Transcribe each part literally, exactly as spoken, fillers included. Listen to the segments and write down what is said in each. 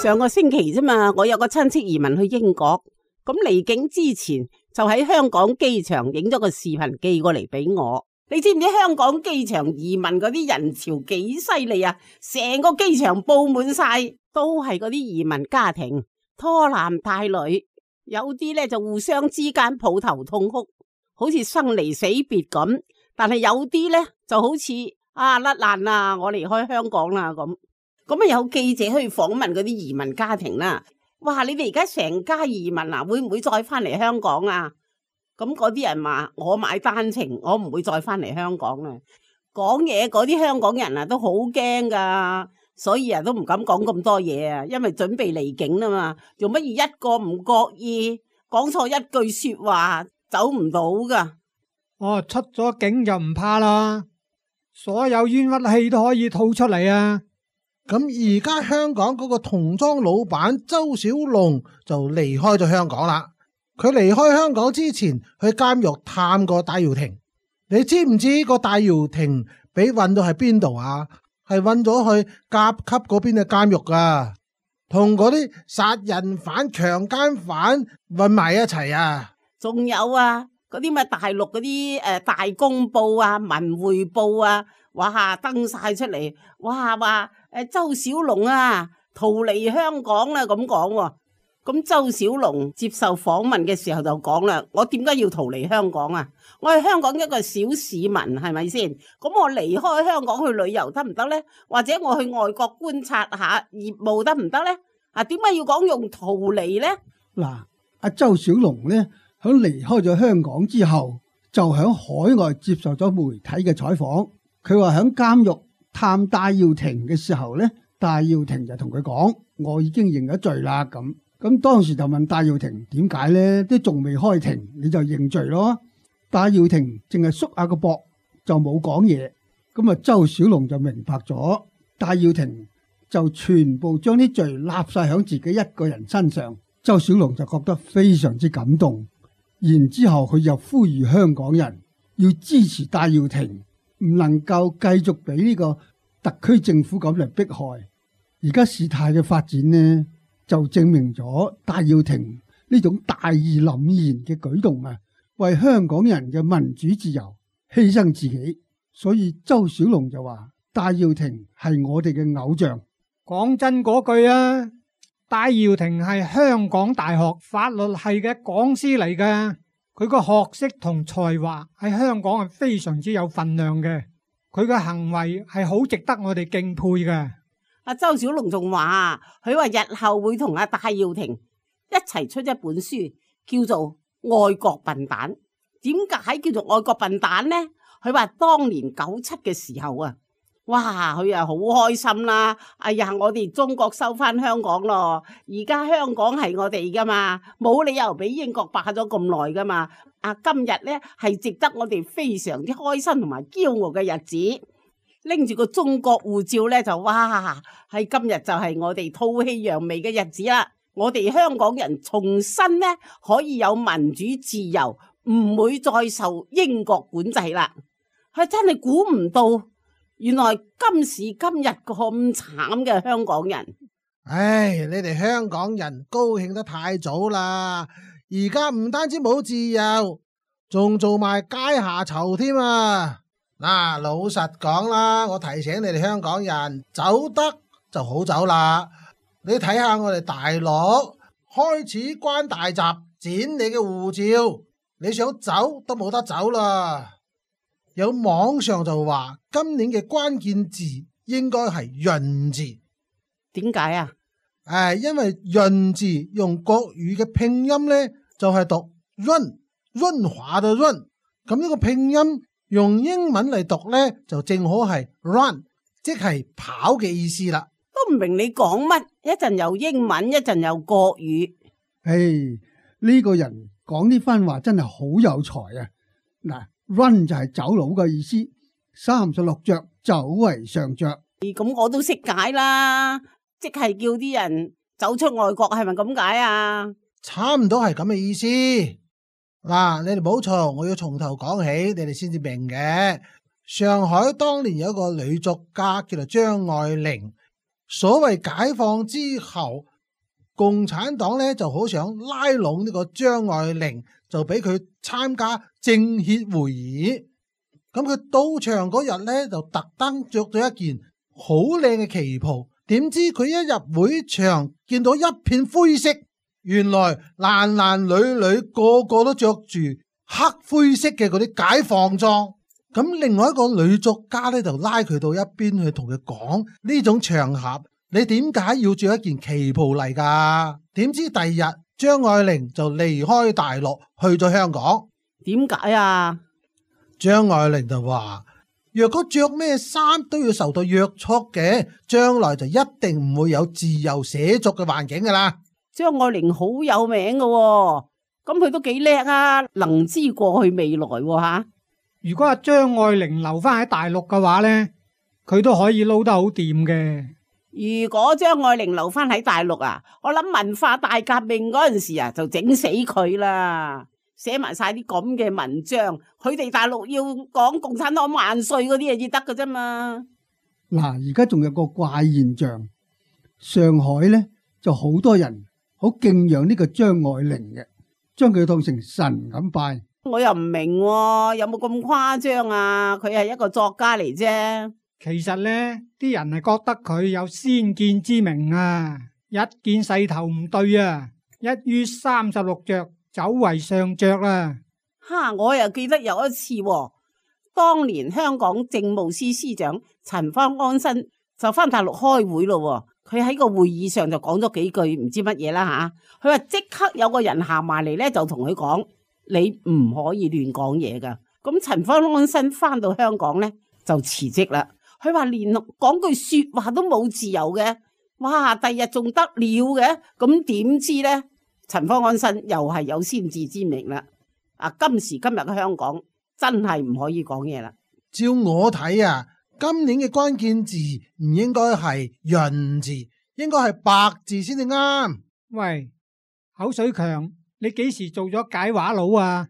上個星期啫嘛，我有個親戚移民去英國，咁離境之前就喺香港機場影咗個視頻寄過嚟俾我。你知唔知香港機場移民嗰啲人潮幾犀利啊？成個機場布滿晒，都係嗰啲移民家庭，拖男帶女，有啲咧就互相之間抱頭痛哭，好似生離死別咁。但係有啲咧就好似啊甩爛啦，我離開香港啦咁。咁啊有記者去訪問嗰啲移民家庭啦，哇！你哋而家成家移民啊，會唔會再翻嚟香港啊？咁嗰啲人話我買單程，我唔會再翻嚟香港啦。講嘢嗰啲香港人啊都好驚噶，所以啊都唔敢講咁多嘢啊，因為準備離境啦嘛。做乜要一個唔覺意講錯一句說話走唔到噶？哦，出咗境就唔怕啦，所有冤屈氣都可以吐出嚟啊！咁而家香港嗰個童裝老闆周小龍就離開咗香港啦。佢離開香港之前去監獄探過戴耀廷，你知唔知個戴耀廷俾運到喺邊度啊？係運咗去甲級嗰邊嘅監獄啊，同嗰啲殺人犯、強姦犯混埋一齊啊！仲有啊，嗰啲咩大陸嗰啲誒大公報啊、文匯報啊，哇登晒出嚟，哇話誒周小龍啊逃離香港啦咁講喎。咁周小龍接受訪問嘅時候就講啦，我點解要逃離香港啊？我係香港一個小市民，係咪先？咁我離開香港去旅遊得唔得呢？或者我去外國觀察下業務得唔得呢？啊，點解要講用逃離呢？嗱，阿周小龍呢，響離開咗香港之後，就響海外接受咗媒體嘅採訪。佢話響監獄探戴耀廷嘅時候呢，戴耀廷就同佢講：我已經認咗罪啦咁。咁當時就問戴耀廷點解呢？都仲未開庭你就認罪咯？戴耀廷淨係縮下個膊就冇講嘢。咁啊，周小龍就明白咗，戴耀廷就全部將啲罪立晒響自己一個人身上。周小龍就覺得非常之感動，然之後佢就呼籲香港人要支持戴耀廷，唔能夠繼續俾呢個特區政府咁嚟迫害。而家事態嘅發展呢，就證明咗戴耀廷呢種大義凜然嘅舉動啊，為香港人嘅民主自由犧牲自己。所以周小龍就話戴耀廷係我哋嘅偶像。講真嗰句啊，戴耀廷係香港大學法律系嘅講師嚟嘅，佢個學識同才華喺香港係非常之有份量嘅，佢嘅行為係好值得我哋敬佩嘅。阿周小龍仲話，佢話日後會同阿戴耀廷一齊出一本書，叫做《愛國笨蛋》。點解叫做愛國笨蛋呢？佢話當年九七嘅時候啊，哇，佢啊好開心啦！哎呀，我哋中國收翻香港咯，而家香港係我哋噶嘛，冇理由俾英國霸咗咁耐噶嘛。啊，今日呢係值得我哋非常之開心同埋驕傲嘅日子。拎住個中國護照咧，就哇喺今日就係我哋吐氣揚眉嘅日子啦！我哋香港人重新咧可以有民主自由，唔會再受英國管制啦！係真係估唔到，原來今時今日咁慘嘅香港人。唉，你哋香港人高興得太早啦！而家唔單止冇自由，仲做埋階下囚添啊！嗱、啊，老實講啦，我提醒你哋香港人，走得就好走啦。你睇下我哋大陸開始關大閘，剪你嘅護照，你想走都冇得走啦。有網上就話今年嘅關鍵字應該係潤字，點解啊？誒，因為潤字用國語嘅拼音呢，就係、是、讀潤，潤滑嘅潤，咁呢個拼音用英文嚟讀呢，就正好係 run， 即係跑嘅意思啦。都唔明你講乜，一陣又英文，一陣又國語。唉，呢個人講呢番話真係好有才啊！嗱，run 就係走佬嘅意思，三十六着走為上着。咁我都識解啦，即係叫啲人走出外國，係咪咁解啊？差唔多係咁嘅意思。嗱，你哋冇錯，我要從頭講起，你哋先至明嘅。上海當年有一個女作家叫做張愛玲，所謂解放之後共產黨咧就好想拉攏呢個張愛玲，就俾佢參加政協會議。咁佢到場嗰日咧就特登着咗一件好靚嘅旗袍，點知佢一入會場見到一片灰色，原來男男女女個個都着住黑灰色嘅嗰啲解放裝。咁另外一個女作家咧就拉佢到一邊去同佢講，呢種場合你點解要着一件旗袍嚟噶？點知第二日張愛玲就離開大陸去咗香港。點解啊？張愛玲就話：若果着咩衫都要受到約束嘅，將來就一定唔會有自由寫作嘅環境噶啦。張愛玲好有名噶喎，咁佢都幾叻啊，能知過去未來喎吓。如果阿張愛玲留翻喺大陸嘅話呢，佢都可以撈得好掂嘅。如果張愛玲留翻喺大陸啊，我諗文化大革命嗰陣時啊，就整死佢啦。寫埋晒啲咁嘅文章，佢哋大陸要講共產黨萬歲嗰啲嘢至得噶啫嘛。嗱，而家仲有個怪現象，上海呢就好多人好敬仰呢個張愛玲嘅，將佢當成神咁拜。我又唔明喎，有冇咁誇張啊？佢係一個作家嚟啫。其實呢啲人係覺得佢有先見之明啊，一見勢頭唔對啊，一於三十六着走為上着啦。哈！我又記得有一次喎，當年香港政務司司長陳方安生就翻大陸開會咯，佢喺個會議上就講咗幾句唔知乜嘢啦吓。佢話即刻有個人行埋嚟咧，就同佢講：你唔可以亂講嘢噶。咁陳方安生翻到香港咧就辭職啦。佢話連講句說話都冇自由嘅。哇！第日仲得了嘅？咁點知咧？陳方安生又係有先見之明啦。啊，今時今日嘅香港真係唔可以講嘢啦。照我睇啊，今年嘅關鍵字唔應該係潤字，應該係白字先至啱。喂，口水強，你幾時做咗解話佬啊？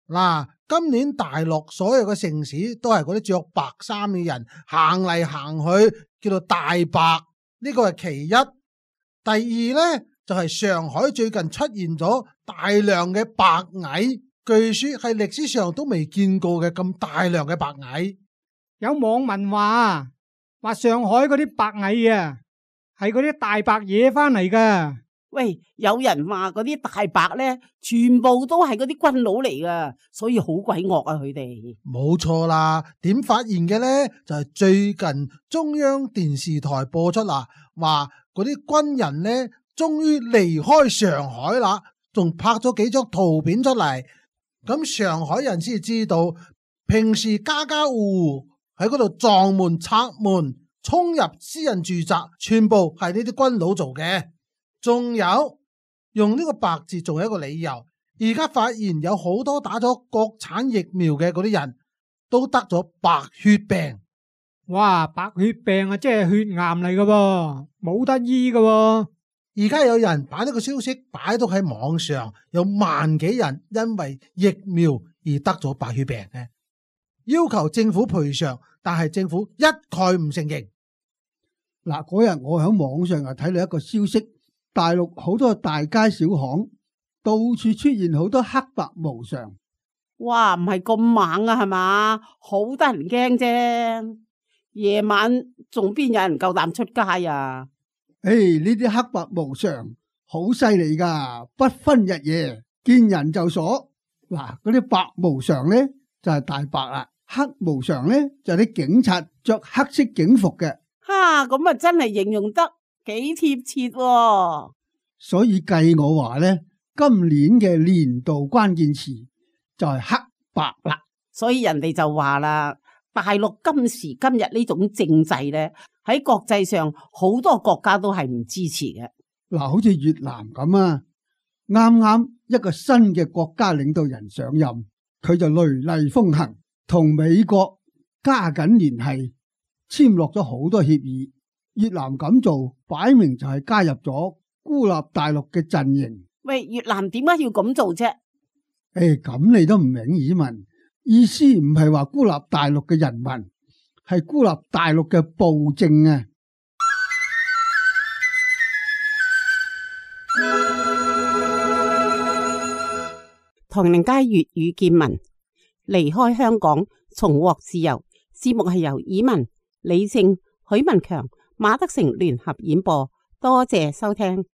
嗱，今年大陸所有嘅城市都係嗰啲着白衫嘅人行嚟行去，叫做大白，呢個係其一。第二呢，就係上海最近出現咗大量嘅白蟻，據說係歷史上都未見過嘅咁大量嘅白蟻。有網民話話上海嗰啲白蟻啊，係嗰啲大白惹翻嚟噶。喂，有人話嗰啲大白咧，全部都係嗰啲軍佬嚟噶，所以好鬼惡啊！佢哋冇錯啦。點發現嘅呢？就係最近中央電視台播出啦，話嗰啲軍人呢，終於離開上海啦，仲拍咗幾張圖片出嚟。咁上海人先知道，平時家家戶戶喺嗰度撞門拆門衝入私人住宅，全部係呢啲軍佬做嘅。仲有用呢個白字仲有一個理由，而家發現有好多打咗國產疫苗嘅嗰啲人都得咗白血病。哇，白血病啊，即係血癌嚟噶噃，冇得醫噶喎。而家有人把呢個消息擺到喺網上，有萬幾人因為疫苗而得咗白血病嘅，要求政府賠償，但係政府一概唔承認。嗱，嗰日我喺網上又睇到一個消息，大陸好多大街小巷到處出現好多黑白無常。哇，唔係咁猛啊，係嘛？好得人驚啫。夜晚仲邊有人夠膽出街啊？誒，呢啲黑白無常好犀利噶，不分日夜，見人就鎖。嗱，嗰啲白無常咧就係大白啦，黑無常咧就係啲警察着黑色警服嘅。哈，咁啊真係形容得幾貼切喎。所以計我話咧，今年嘅年度關鍵詞就係黑白啦。所以人哋就話啦，大陸今時今日呢種政制咧，喺國際上好多國家都係唔支持嘅。嗱，好似越南咁啊，啱啱一個新嘅國家領導人上任，佢就雷厲風行，同美國加緊聯繫，簽落咗好多協議。越南咁做，擺明就係加入咗孤立大陸嘅陣營。喂，越南點解要咁做啫？誒，咁你都唔明耳聞，意思唔係話孤立大陸嘅人民，係孤立大陸嘅暴政啊！唐寧街粵語見聞，離開香港，重獲自由。節目係由以文、李正、許文強、馬德成聯合演播，多謝收聽。